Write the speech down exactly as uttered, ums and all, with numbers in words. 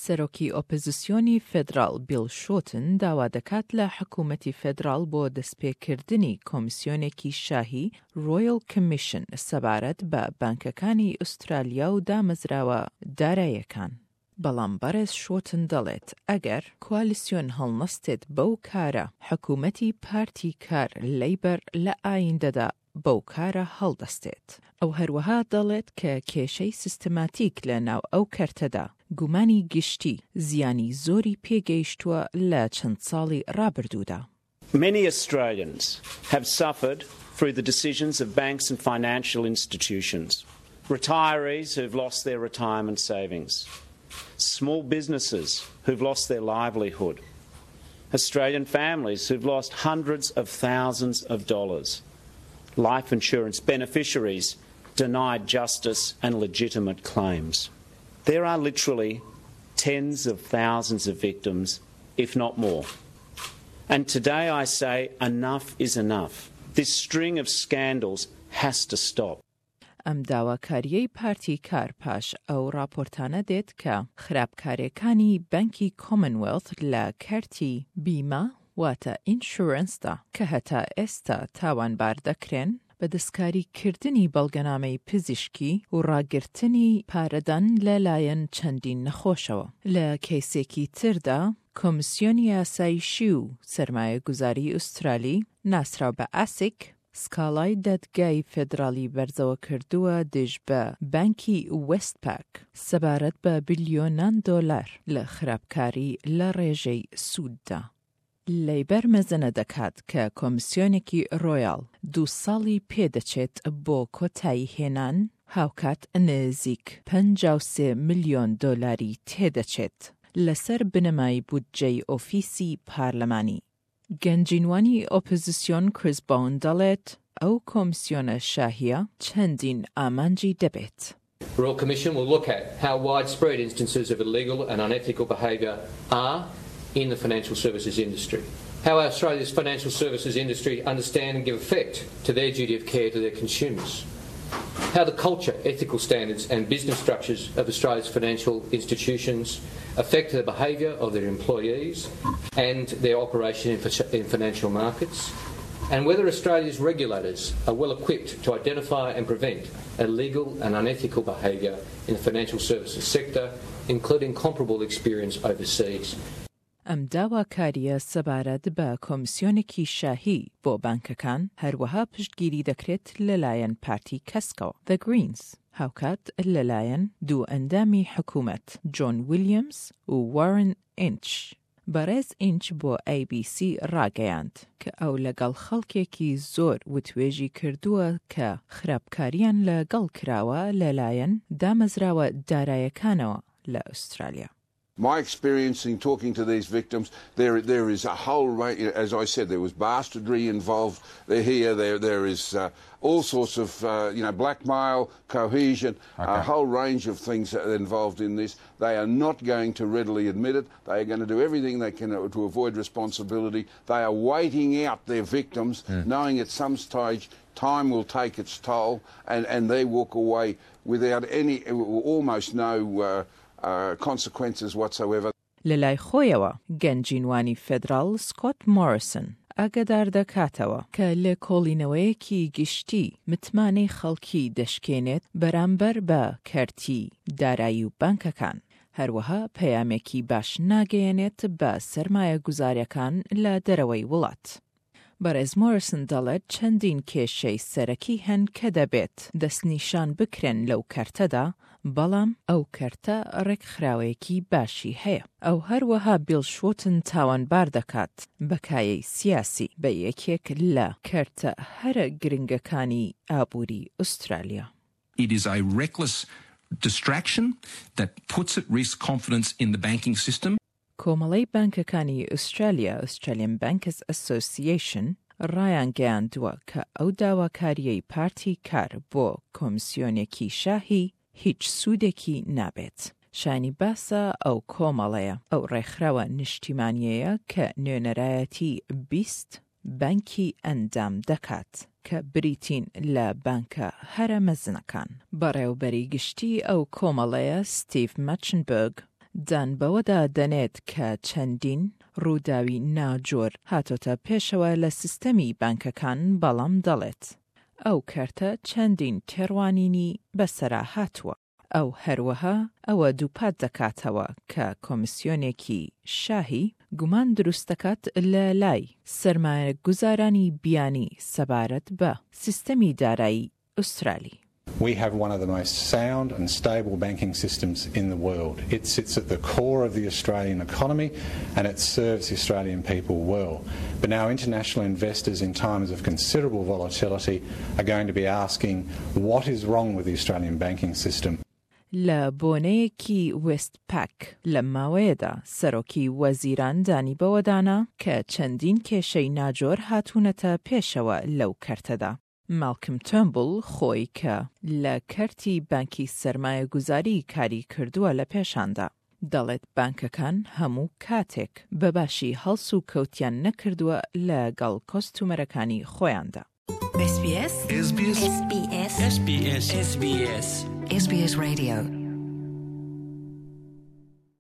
سەرۆکی ئۆپۆزیسیۆنی فێدراڵ بیڵ شۆتن داوا دەکات لە حکوومەتی فێدراڵ بۆ دەستپێکردنی کۆمیسیۆنێکی شاهی Royal Commission سەبارەت بە بانکەکانی ئوسترالیا و دامەزراوە دارایەکان. بەڵام بەڕێز شۆتن دەڵێت ئەگەر کوالیسیۆن هەڵنەستێت بەو کارە، حکوومەتی پارتی کار لەیبەر لە ئایندەدا بەو کارە هەڵدەستێت. ئەو هەروەها دەڵێت کە کێشەی سیستماتیک لە ناو ئەو کەرتەدا گومانی گشتی زیانی زۆری پێگەیشتووە لە چەند ساڵی ڕابردوودا. Many Australians have suffered through the decisions of banks and financial institutions. Retirees who've lost their retirement savings, small businesses who've lost their livelihood, Australian families who've lost hundreds of thousands of dollars, life insurance beneficiaries denied justice and legitimate claims. There are literally tens of thousands of victims, if not more. And today I say enough is enough. This string of scandals has to stop. ئەم داواکاریەی پارتی کار پاش ئەو راپۆرتانە دێت کە خراپکاریەکانی بانکی کۆمنوێڵث لە کەرتی بیمە واتە insurance دا کە هەتا ئێستا تاوانبار دەکرێن بە دەستکاریکردنی بەڵگەنامەی پزیشکی و ڕاگرتنی پارەدان لەلایەن چەندین نەخۆشەوە. لە کەیسێکی تردا کۆمیسیۆنی یاسایشی و سەرمایەگوزاری ئوسترالی ناسراو بە ئاسیک سکاڵای دادگای فێدراڵی بەرزەوە کردووە دژ بە بانکی وێستپاک سەبارەت بە بلیۆنان دۆلار لە خراپکاری لە ڕێژەی سووددا. لەیبەر مەزەنە دەکات کە کۆمیسیۆنێکی ڕۆیاڵ دوو ساڵی پێدەچێت بۆ کۆتایی هێنان، هاوکات نزیک پەنجا و سێ ملیۆن دۆلاری تێدەچێت لەسەر بنەمای بودجەی ئۆفیسی پارلەمانی. گەنجینوانی ئۆپۆزیسیۆن کریس بۆون دەڵێت ئەو کۆمیسیۆنە شاهیە چەندین ئامانجی دەبێت. The Royal Commission will look at how widespread instances of illegal and unethical behaviour are in the financial services industry, how Australia's financial services industry understand and give effect to their duty of care to their consumers, how the culture, ethical standards and business structures of Australia's financial institutions affect the behaviour of their employees and their operation in, in financial markets, and whether Australia's regulators are well equipped to identify and prevent illegal and unethical behaviour in the financial services sector, including comparable experience overseas. ئەم داواکاریە سەبارەت بە کۆمیسیۆنێکی شاهی بۆ بانکەکان هەروەها پشتگیری دەکرێت لەلایەن پارتی کەسکەوە The Greens، هاوکات لەلایەن دوو ئەندامی حکوومەت جۆن ویلیامز و وارن ئینچ. بەڕێز ئینچ بۆ A B C ڕاگەیاند کە ئەو لەگەڵ خەڵکێکی زۆر وتوێژی کردووە کە خراپکاریان لەگەڵ کراوە لەلایەن دامەزراوە دارایەکانەوە لە ئوسترالیا. My experience in talking to these victims, there there is a whole range. As I said, there was bastardry involved here. There there is uh, all sorts of uh, you know blackmail, coercion, okay. a whole range of things involved in this. They are not going to readily admit it. They are going to do everything they can to avoid responsibility. They are waiting out their victims, mm. knowing at some stage time will take its toll, and, and they walk away without any, almost no. Uh, uh, consequences whatsoever. لەلای خۆیەوە گەنجینوانی فێدراڵ سکۆت مۆریسن ئاگادار دەکاتەوە کە لێکۆڵینەوەیەکی گشتی متمانەی خەڵکی دەشکێنێت بەرامبەر بە کەرتی دارایی و بانکەکان، هەروەها پەیامێکی باش ناگەیەنێت بە سەرمایە گوزاریەکان لە دەرەوەی وڵات. بەڕێز مۆریسن دەڵێت چەندین کێشەی سەرەکی هەن کە دەبێت دەستنیشان بکرێن لەو کەرتەدا، بەڵام ئەو کەرتە ڕێکخراوەیەکی باشی هەیە. ئەو هەروەها بیڵ شۆتن تاوانبار دەکات بە کایەی سیاسی بە یەکێک لە کەرتە هەرە گرنگەکانی ئابووری ئوسترالیا. It is a reckless distraction that puts at risk confidence in the banking system. کۆمەڵەی بانکەکانی ئوسترالیا Australian Bankers Association ڕایانگەیاندووە کە ئەو داواکاریەی پارتی کار بۆ کۆمیسیۆنێکی شاهی هیچ سوودێکی نابێت. شایانی باسە ئەو کۆمەڵەیە ئەو ڕێکخراوە نیشتیمانیەیە کە نوێنەرایەتی بیست بانکی ئەندام دەکات کە بریتین لە بانکە هەرە مەزنەکان. بەڕێوبەری گشتی ئەو کۆمەڵەیە ستیڤ ماچنبرگ دان بەوەدا دەنێت کە چەندین ڕووداوی ناجۆر هاتۆتە پێشەوە لە سیستەمی بانکەکان، بەڵام دەڵێت ئەو کەرتە چەندین تێڕوانینی بەسەرا هاتووە. ئەو هەروەها ئەوە دووپات دەکاتەوە کە کۆمیسیۆنێکی شاهی گومان دروست دەکات لە لای سەرمایەگوزارانی بیانی سەبارەت بە سیستەمی دارایی ئوسترالی. We have one of the most sound and stable banking systems in the world. It sits at the core of the Australian economy and it serves the Australian people well. But now international investors in times of considerable volatility are going to be asking what is wrong with the Australian banking system. لە بۆنەیەکی وێستپاک لەم ماوەیەدا سەرۆکی وەزیران دانی بەوەدانا کە چەندین کێشەی ناجۆر هاتوونەتە پێشەوە لەو کەرتەدا. ماڵکم تۆرنبوڵ خۆی کە لە کەرتی بانکی سەرمایەگوزاری کاری کردووە لە پێشاندا دەڵێت بانکەکان هەموو کاتێک بە باشی هەڵس و کەوتیان نەکردووە لەگەڵ کۆستومەرەکانی خۆیاندا. S B S S B S S B S S B S S B S S B S Radio.